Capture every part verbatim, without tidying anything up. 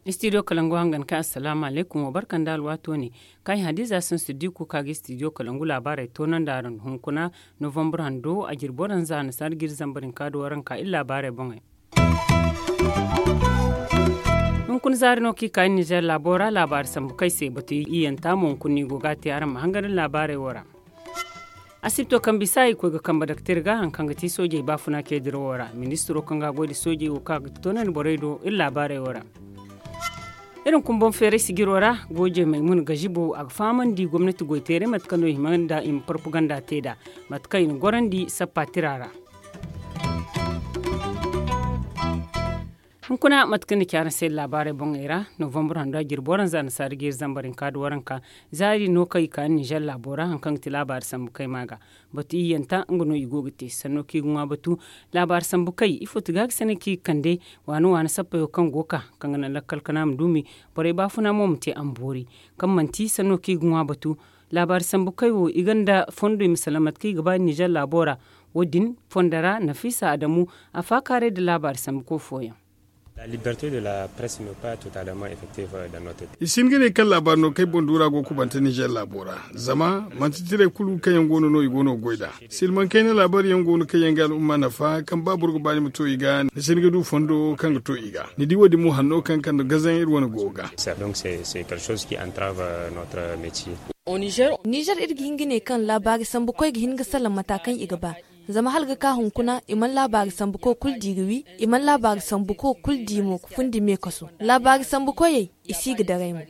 Istidiyo kalangu hangan ka assalaamu alaykum wa barka nda alwaato ne. Kaŋ ay hadiza sansu di kuka ga istidiyo kalangu laabaarey toonandi araŋ hunkuna novambur hando a jirbo daŋ za nasaara ga iri zambar hinka da waranka iri laabaarey boŋey. Hunkuna zaari no kaŋ i ka iri nizeer laabo ra laabaari sambu kaŋ ay se batu iyanta mo hunkuna no i go ga a te araŋ ma hangan iri laabaarey wo ra. Asibto kaŋ bisa i koy ga kambe daktir ga hari kaŋ ga ti soojey baafuna ceediro wo ra ministiro kaŋ ga a goy nda soojey wo kaŋ a ga toonandi borey do iri laabaarey wo ra. Iri hunkuna boŋ feeray sijiro ra goojey maymuna gazibo a ga fahamandi gomnati goyteeray mate kaŋ no i hima nda i ma parpaganda te nd'a mate kaŋ i na gorandi sappa tira ra. Hunkuna mate kaŋ ni ci araŋ se laabaarey boŋey ra novambur hando a jirbi waranza nasaara ga iri zambar hinka da waranka. Zaari no kaŋ i ka nizeer laabo ra hari kaŋ ga ti laabaari sambu kay ma ga batu iyyanta nga no i go ga te sanno kaŋ i ga ŋwa batu. Laabaari sambu kay ifo ti ga ga sene kaŋ i ga kande waani waani sappayo kaŋ go ga ka kaŋ ga naŋ lakkal kana ma duumi. Borey baafuna mo ma te a ma boori kaŋ manti sanno kaŋ i ga ŋwa batu. Laabaari sambu kay wo i gonda fondo i ma salaŋ mate kaŋ i ga ba nizeer laabo ra. Wo- din fondo ra nafiisa adamu a faakaaray nda laabaari sambu koy fooyaŋ. I si hin ga ne kaŋ laabaari no kaŋ ay boŋ duura go ga kubante nizeer laabo ra zama manti tiray kulu kaŋ yaŋ go no no i go no ga goy nd'a. Silmaŋ kayna laabaari yaŋ go no kaŋ yaŋ ga al'umma nafa kaŋ ba boro ga ba ni ma to i ga ni si hin ga du fondo kaŋ ga to i ga ni di wo- din mo hanno kaŋ kande gazaŋ iri wane go ga. Nizeer iri ga hin ga ne kaŋ laabaari sambu koy ga hin ga salaŋ mata kaŋ i ga ba. Zama hala ga ka hunkuna i mana laabaari sambu koy kulu di ga wi i mana laabaari sambu koy kulu di mo ga fundi me kaso laabaari sambu koyey i si ga daray mo.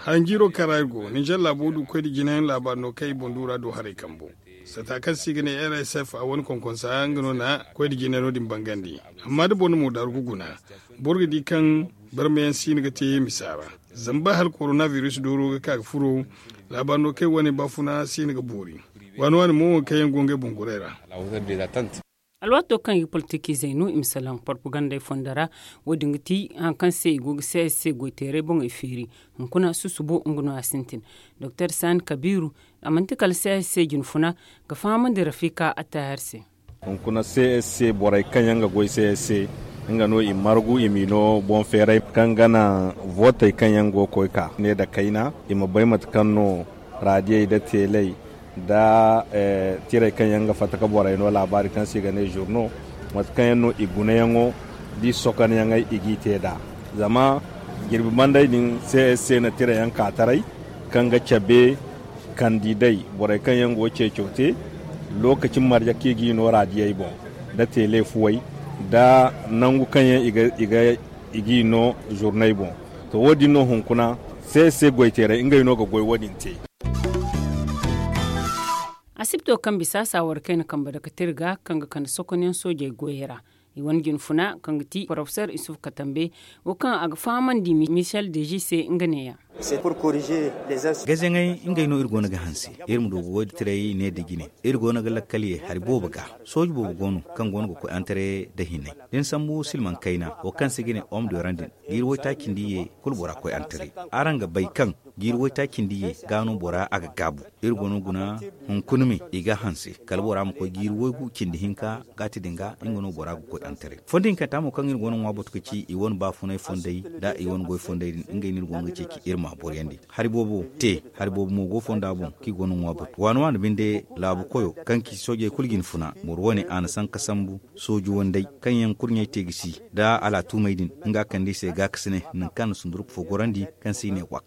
Hanjiiro kaŋ ra iri go ninzeer laabo du koy nda jinayaŋ laabaari no kaŋ i boŋ duura do haray kambo. Sata kaŋ se i ga ne rsf a wane konkonsa nga no na koy nda jinay no- din bangandi. Amma da boro na moodaaru ga guna boro ga di kaŋ barmayaŋ si no ga te misa ra. Zama ba hala koronabiris dooro ga ka ga furo laabaari no kaŋ ay wane baafuna si no ga boori. Waani waani mo wo kaŋ yaŋ go ngey boŋ goray ra. Alwaato kaŋ i ga politiki zaynu i ma salaŋ porpagandey fondo ra. Wo- din ga ti hari kaŋ se i go ga csc goyteeray boŋey feeri. Hunkuna susubo nga no a sintin doktor sani kabiiru. A manti kala csc jinfuna ga fahamandi rafika attahar se. Hunkuna csc borey kaŋ yaŋ ga goy csc nga no i margu i m'i no boŋ feeray kaŋ ga naŋ vootey kaŋ yaŋ go ga koy ka ne nda kayna i ma bay mate kaŋ no raadiyey nda teeley nda tirey kaŋ yaŋ ga fatta ga borey no laabaari kaŋ se i ga ne zurno mate kaŋ yaŋ no i gunayaŋo da i sokonyaŋey i g'i te nd'a. Zama jirbi bandey din csc na tirayaŋ ka taray kaŋ ga cabe kandidey borey kaŋ yaŋ go ga ceeco te lookaci marje kaŋ i g'i no raadiyey boŋ nda teele fuwey nda nangu kaŋ yaŋ i g'i no zurney boŋ. To wo- din no hunkuna se se goyteerey ngey no ga goy wo- din te. Asibto kaŋ bisa saawar kayna kambe dakatir ga kaŋ ga kande sokonyaŋ soojey goyey ra i wane jinfuna kaŋ ga ti porofesor isuf katambe wo kaŋ a ga fahamandi michel deji se nga neeya. Gazaŋey ngey no iri go no ga hanse iri ma du ga woy da tiray ne da jine. Iri go no ga lakkal ye hari boobo ga sooji boobo go no kaŋ go no ga koy antare da hinay da ni sambu silmaŋ kayna wo kaŋ se ga ne om doran din jiiri woytaaci nda ye kulu bora koy antare. Araŋ ga bay kaŋ jiiri woytaaci nda ye ga no bora a ga gaabu. Iri go no guna hunkuna me i ga hanse kala bora ma koy jiiri woygu cindi hinka gaati din ga nga no bora ga koy antare. Fondo hinkanta mo kaŋ iri go no ŋwa batu ga ci i wane baafunay fondey nda i wane goy fondey din ngey no iri go no ga ceeci iri ma boryandi. Hari boobo te hari boobo mo go fonda boŋ kaŋ i go no ŋwa batu waani waani binde laabu koyo kaŋ ci soojey kulu jinfuna boro wane a na sanka sambu sooji wandey kaŋ yaŋ kurɲey te ga si nda alaatumey din nga kande i se gaakasinay nangu kaŋ a na sundurku fo gorandi kaŋ se i ne wax.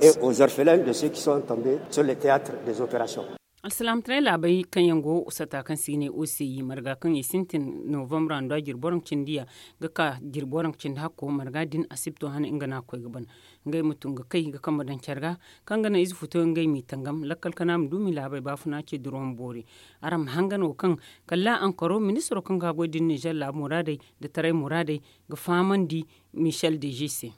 Alsilaamataray laabey kaŋ yaŋ go sata kaŋ se i ne o se i marga kaŋ i sintin novambra nda jirbi waranka cindi ya ga ka jirbi waranka cindi hakko marga din asibto hane nga no a koy ga ban. Ngey ma tun ga kay ga kambe daŋ care ga kaŋ ga naŋ ize futo ngey m'i tangam lakkal kana ma du m'i laabey baafuna ce duro ma boori. Araŋ ma hangan wo kaŋ kala ankaro ministiro kaŋ ga goy din nizer laabu muraadey nda taray muraadey ga fahamandi michel deji se.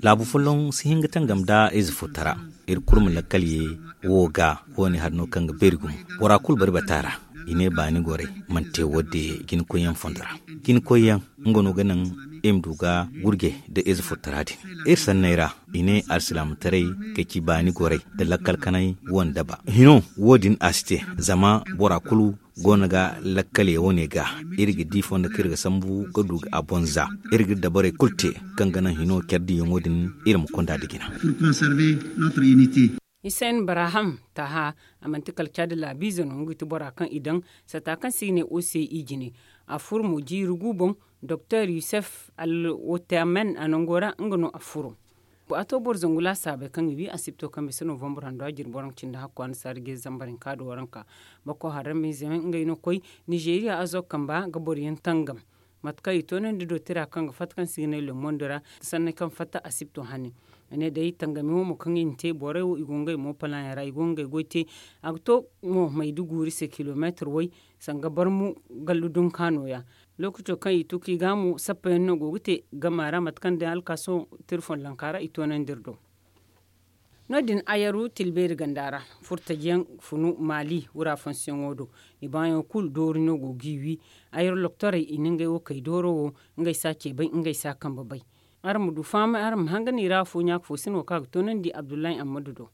Laabu folloŋ si hin ga tangam nda ize fo tara. Iri kulu ma lakkal ye wo ga wo- ne hari no kaŋ ga beeri gumo bora kulu bari bata ra. I ne baani gorey mana te wo- din jinkoyyaŋ fondo ra. Jinkoyyaŋ nga no ga naŋ i ma du ga gurje nda ize furtara din. Iri sanney ra, i ne alsilaamataray ga ci baani gorey nda lakkal kanay wandaba hino. Wo- din a si te zama bora kulu go no ga lakkale wane ga. Iri ga di fondo kaŋ iri ga sambu ga du ga a boŋ za. Iri ga dabarey kulu te kaŋ ga naŋ hino care diyaŋo din iri ma konda nda jina. Hisen baraham taha, a manti kala caadi laabiize no nga ga ti bora kaŋ i daŋ sata kaŋ se i ga ne ose i jine. A furo mo jiiri gu boŋ. Doktor yusef al wotamen a nango ra nga no a furo. A to boro zangu laasaabey kaŋ i wi asibto kaŋ bisa novembre hando a jirbi waranka cindi hakku a na saara jeeri zambar hinka do waranka. Bako haram izeme ngey no koy nizeeriya azo kamba ga boroyaŋ tangam. Mate kaŋ i toonandi do tira kaŋ ga fatta kaŋ se i ga ne lemondo ra, sanney kaŋ fatta asibto hane. A ne day tangami wo mo kaŋ i na te borey wo i go ngey mo palaayaŋ ra i go ngey goy te. A ga to mo mayda guuri se kilomeetir way sanga barmu gallu dunka nooya. Lookaco kaŋ i tun ka i gaamu sappayaŋ no go ga te gama ra mate kaŋ day alkaaso tirfon lanka ra i toonandi iri do. No- din ayaru tilbeeri ganda ra furtajiyaŋ funu maali wura fonsiyaŋo do. I baayaŋo kulu doori no go ga i wi. Ayaru loktorey i na ngey wo kay dooro wo. Ngey si a ce bay ngey si a kambe bay. Araŋ ma du fahamay araŋ ma hangan i ra afo ɲaaka fo sina wo kaŋ a ga toonandi abdullahi ammadu do.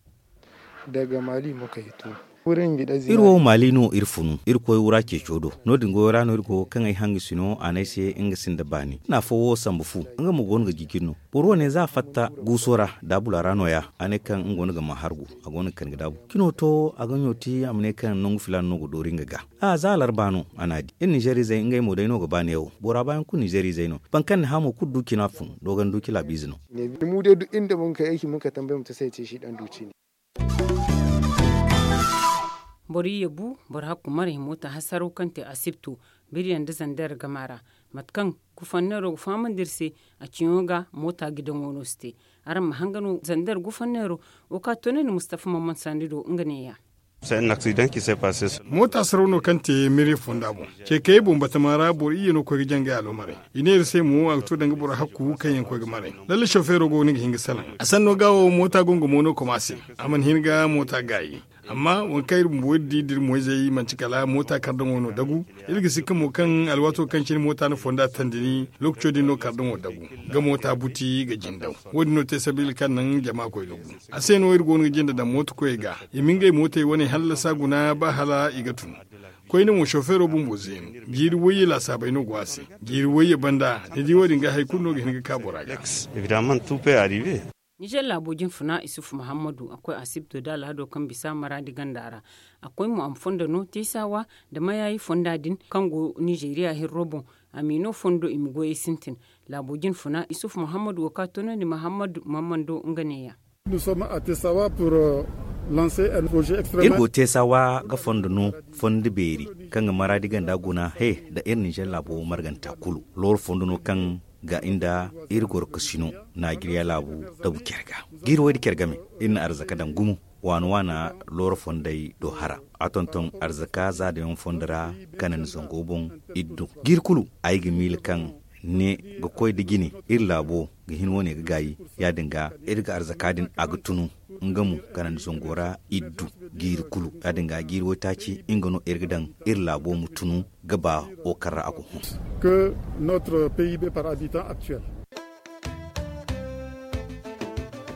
Daga maali mo kay to. Iri wo maali no iri funu iri koy wura ceeco do. No- din goyo ra no iri go kaŋ ay hangasino a ne ay se nga sinda baani na afo wo sambu fu. Nga mo go no ga jijiri no. Boro wane za a fatta guuso ra daabula ra nooya. A ne kaŋ nga go no ga ma hargu a go no ga kani ga daabu cino to a ga ɲooti a ma ne kaŋ nangu filaana no ga doori nga ga. A za alarba no a na a di iri ninzeerizey ngey mo day no ga ba neewo bora baayaŋ kulu ninzeerizey no. Boro kaŋ na hamo kulu du cina fun dogon du ci laabiize no. Boro iyye bu boro hakku maray moota hasaraw kaŋ te asibto biriyaŋ nda zander gama ra. Mate kaŋ gufanneero ga fahamandi iri se a ciyaŋo ga moota gidaŋo no si te. Araŋ ma hanga no zander gufanneero wo kaŋ a toonandi mustafa mamman sandi do nga neeya. Moota saraw no kaŋ te miriya fonda boŋ. Ce kayey boŋ batama ra boro iyye no koy ga jangay aloomaray. I ne iri se mo a ga to danga boro hakku kaŋ yaŋ koy ga maray. Lalle sofeero go no ga hin ga salaŋ a sanno ga wo moota go nga mo no koma se. A mana hin ga moota gaayi. Amma waŋ kaŋ iri bumbo iri di da iri moyzey manti kala moota kardaŋo no dagu. Iri ga sikka mo kaŋ alwaato kaŋ cine moota na fonda tandini lookaco din no kardaŋo dagu ga moota buti ga jindaw. Wo- din no te sabiila kaŋ naŋ jama koy ga gu. A se no iri go no ga jinde daŋ mooto koyey ga i ma ngey mootey wane hallasa guna ba hala i ga tun. Koyne mo sofeero bumbo zeenu. Jiiri wayye laasaabey no go a se. Jiiri wayye banda ni di wo- din ga hari kulu no ga hin ga ka bora ga. Nizer laabo jinfuna isufu muhammadu a koy asibto da alhado kaŋ bisa maraadi ganda ra. A koy mo a ma fondo no teesawa nda mayaayi fonda din kaŋ go nizeeriya hirro boŋ. A m'i no fondo i ma goyey sintin. Laabo jinfuna isufu muhammadu wo kaŋ a toonandi muhammadu mammando nga neeya. Iri go teesawa ga fondo no fondo beeri kaŋ ga maraadi ganda guna he nda iri ninzeer laabo marganta kulu. Looro fondo no kaŋ ga inda iri goro kasino naajiriya laabu dabu care ga. Jiiri way da care game iri na arzaka daŋ gumo waana waana looro fondey do hara. A tonton arzaka zaadayaŋ fondo ra kanandi zango boŋ. Iri du jiiri kulu ay ga miila kaŋ ne ga koy da jine iri laabo ga hin wane ga gaayi. Ya- din ga iri ga arzaka din a ga tunu nga mo kanandi zango ra iri du jiiri kulu. Ya- din ga jiiri waytaaci nga no iri ga daŋ iri laabo ma tunu ga ba wo kaŋ ra a go hun.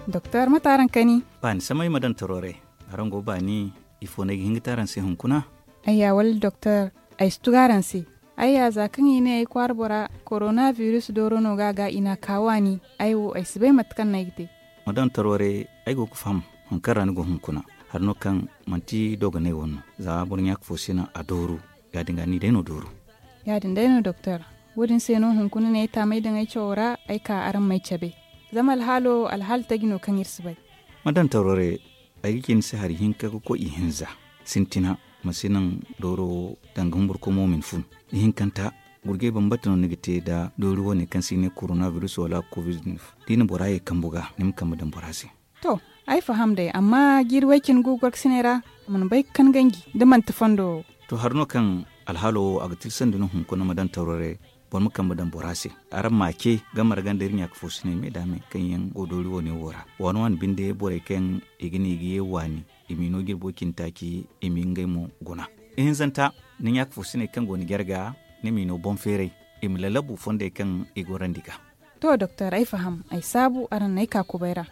Doktor mate araŋ kani? Baani samay ma daŋ taro re. Araŋ go baani? Ifo no ay ga hin ga te araŋ se hunkuna? Ayya wala doktor, ay si tugu araŋ se. Ayya za kaŋ i ne ay kwaara bora korona biris dooro no ga a ga i n'a ka waani. Ay wo ay si bay mate kaŋ no ay ga te. Ma daŋ taro re. Ay go ga faham hari kaŋ ra ni go hunkuna. Hari no kaŋ manti dogonay wane no. Za boro ɲaaka fo si naŋ a dooru. Ya- din ga ni day no dooru. Ya- din day no doktor. Wo- din se no hunkuna no ay taamay daŋ ay cawo ra ay ka araŋ m'ay cabe. Zama alhaalo alhaali taji no kaŋ iri si bay. Ma daŋ taro re. Ay ga ci ni se hari hinka ga koy ihinza. Sintina ma si naŋ dooro wo danga humburkomo ma ni fun. Ihinkanta gurjay bambata no ni ga te nda doori wane kaŋ se i ne korona biris wala kovid. Da i na bora ye kambu ga ni ma kambe daŋ bora se. To, ay faham day amma jiiri way cine gu gorkasiney ra a mana bay ga kan ganji da manti fondo wo. To hari no kaŋ alhaalo wo a ga tilsandi no hunkuna ma daŋ taro re. Boro ma kambe daŋ bora se. Araŋ m'a ce ga marga nda iri ɲaaka fo sinay me da me kaŋ yaŋ go doori wane wo ra waani waani binde borey kaŋ i ga ne i ga ye waani. I m'i no jirbo cine taaci i m'i ngey mo guna. Ihinzanta Ni ɲaaka fo siney kaŋ go ni jarga, ni m'i no boŋ feeray, i ma lalabu fondey kaŋ i gorandi ga. To doktor, ay faham, ay saabu araŋ n'ay ka kubay ra.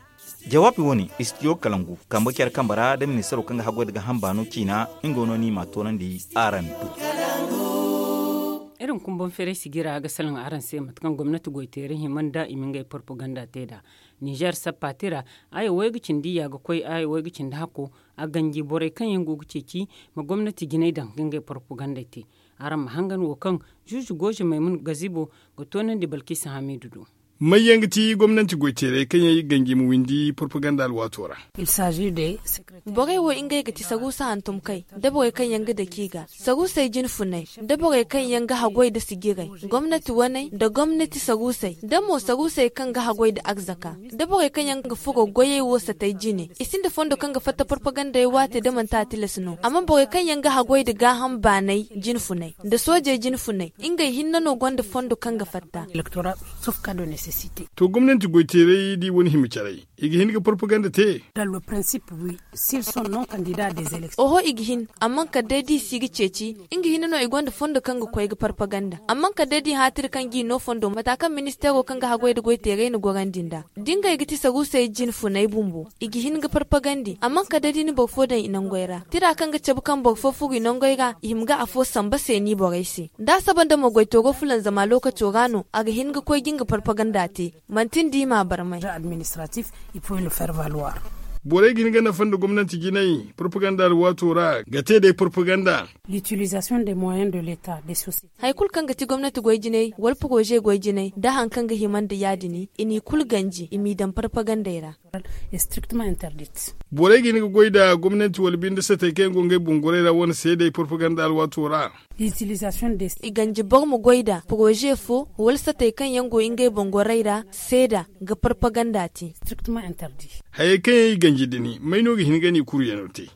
Jawaabi wo- ne, istidiyo kalangu kambe care kambe ra da ministaro kaŋ ga haggoy nda ga hamba no ciina, nga no ni m'a toonandi araŋ do. Iri ma kumbaŋ feeray sijira ga salaŋ araŋ se mate kaŋ gomnati goyteeray hima nda i ma ngey porpaganda te nd'a. Ninzeer sappa tira, aya way ga cindi ya ga koy aya way ga cindi hakko. A ganji borey kaŋ yaŋ go ga ceeci ma gomnati jinay daŋ ga ngey porpagandey te. Araŋ ma hangan wo kaŋ zuuzu gooze maymun gazibo ga toonandi balkisa hamiidu do. May yaŋ ga ti gomnanti goyteerey kaŋ yaŋ i ga ganji ma windi porpaganda alwaato ra? Borey wo ngey ga ti saruusa hantumkey, da borey kaŋ yaŋ ga dake i ga saruusey jinfunay, da borey kaŋ yaŋ ga haggoy nda sijiray, gomnati waney nda gomnati saruusey, da mo saruusey kaŋ ga haggoy nda arzaka, da borey kaŋ yaŋ ga furo goyey wo satay jine. I sinda fondo kaŋ ga fatta porpagandey waate da manti a tilas no. Amma borey kaŋ yaŋ ga haggoy nda gaaham baanay jinfunay nda soojey jinfunay, ngey hinne no gonda fondo kaŋ ga fatta. To gomnanti goyteeray da i wane hima caray, i ga hin ga porpaganda te? Oho, i ga hin. Amma kala day da i si ga ceeci, nga hinne no i gonda fondo kaŋ ga koy ga porpaganda. Amma kala day da i haatiri kaŋ ga i no fondo mata kaŋ ministeero kaŋ ga haggoy nda goyteeray na gorandi nd'a. Da ngey ga ti saruusey jinfunay bumbo, i ga hin ga porpagandi. Amma kala day da i na boro fo daŋ i nangey ra, tira kaŋ ga cabe kaŋ boro fo furo i nangey ra, i hima ga afo samba seeni borey se. Da a saba nda mo goytooro fulanzama lookaco ra no, a ga hin ga koy ga nga porpaganda te. Manti ni di i m'a barmay. Borey ga hin ga nafa nda gomnanti jinay porpaganda alwaato ra ga te day porpaganda. Hari kulu kaŋ ga ti gomnati goy jinay wala poroze goy jinay nda hari kaŋ ga hima nda ya- din, i n'i kulu ganji i m'i daŋ porpagandey ra. Borey ga hin ga goy nda gomnanti wala binde satey kaŋ yaŋ go ngey boŋ goray ra wane seedey porpaganda alwaato ra. I ganji boro ma goy nda poroze fo wala satey kaŋ yaŋ go ngey boŋ goray ra seeda ga porpaganda te. Hayey kaŋ yaŋ i ganji din may no ga hin ga ni kuruyaŋo te?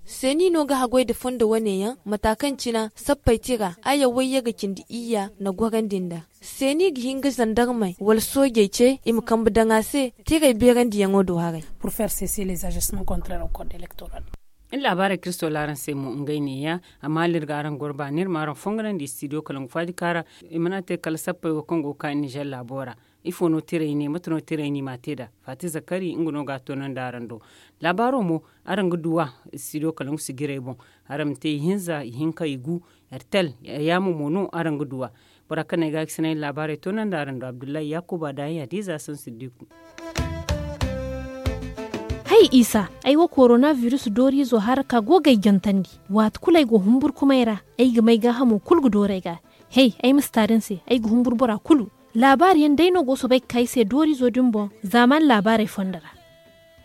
Seeni no ga haggoy nda fondo wane yaŋ mata kaŋ cina sappey tira aya wayye ga cindi iyya na gorandi nd'a. Seeni ga hin ga zandarmey wala soojey ce i ma kambe daŋ a se tiray beerandiyaŋo do haray. Iri laabaarey kaŋ iri soola araŋ se mo ngey neeya. Amma hala iri ga araŋ goro baani iri ma araŋ fonganandi istidiyo kalangu faadika ra. I mana te kala sappey wo kaŋ go ga ka ninzeer laabo ra. Ifo no tiray ne mate no tiray no i m'a te nd'a? Faati zakari nga no ga a toonandi araŋ do. Laabaaro mo araŋ ga du a istidiyo kalangu sijirey boŋ. Araŋ ma te ihinza ihinka igu, ertel, yaamo mo no araŋ ga du a. Bora kaŋ no ay ga a ga sinay laabaarey toonandi araŋ do abdullahi yaakuba da ay hadiza sansiddiku. Hay isa, ay wo korona virus dooriizo haraka go ga ay jantandi. Waati kulu ay go humburkumay ra, ay ga may gaahamo kulu ga dooru ay ga. Hay, ay ma si taari ni se, ay ga humburu bora kulu. Laabaari yaŋ day no go soobay ga ka ay se dooriizo din boŋ zaamaani laabaarey fonda ra.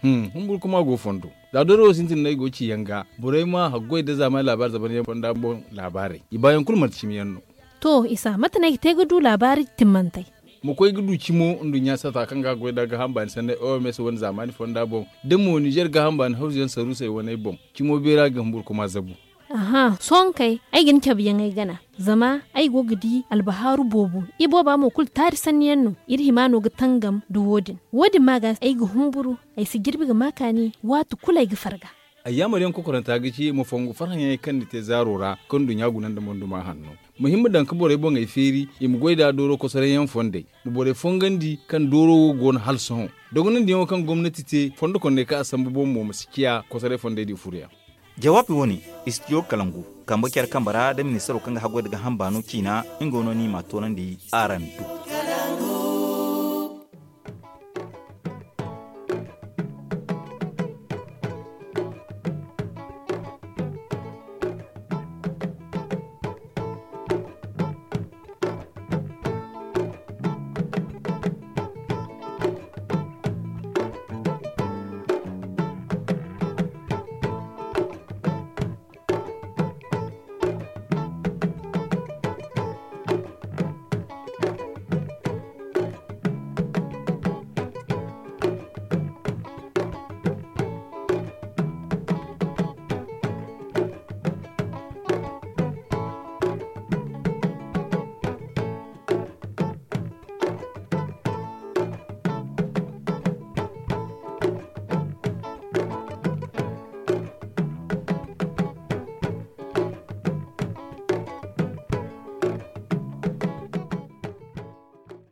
Humburkuma go fondo. Za dooro wo sintin no ay go ga ci yaŋ ga, borey ma haggoy nda zaamaani laabaari zabaryaŋ fonda boŋ laabaarey, i baayaŋ kulu manti cimi yaŋ no. To isa, mate no ay ga te ga du laabaari timmantey? Ma koy ga du cimo nduɲɲa sata kaŋ ga goy nda gaaham baani sanney oms wane zaamaani fonda boŋ, da mo ninzeer gaaham baani hawzu yaŋ saruusey waney boŋ. Cimo beera ga humburkuma zabu. Aha, sohõ kay ay ga ni cabe yaŋ ay gana. Zama ay go ga di albahaaru boobo. Ibooba mo kulu taari sanni yaŋ no. Iri hima no ga tangam nda wo- din. Wo- din ma ga ay ga humburu, ay si jirbi ga ma kaani waati kulu ay ga farga. Ay yaamar yaŋ kokoranta ga ci ma fongu farhã yaŋey kaŋ ni te zaaro ra kaŋ nduɲɲa guna nda monduma hanno. Ma hin ma daŋ ga borey boŋey feeri i ma goy nd'a dooro kosoray yaŋ fondey. Ma borey fongandi kaŋ dooro wo go no hala sohõ. Dogonandi yaŋo kaŋ gomnati te fondo konney kaŋ a sambu boŋ mo ma si ciya kosoray fondey di furuyaŋ. Jawaabi wo- ne, istidiyo kalangu kambe care kambe ra da ministaro kaŋ ga haggoy nda ga hamba no ciina, nga no ni m'a toonandi araŋ do.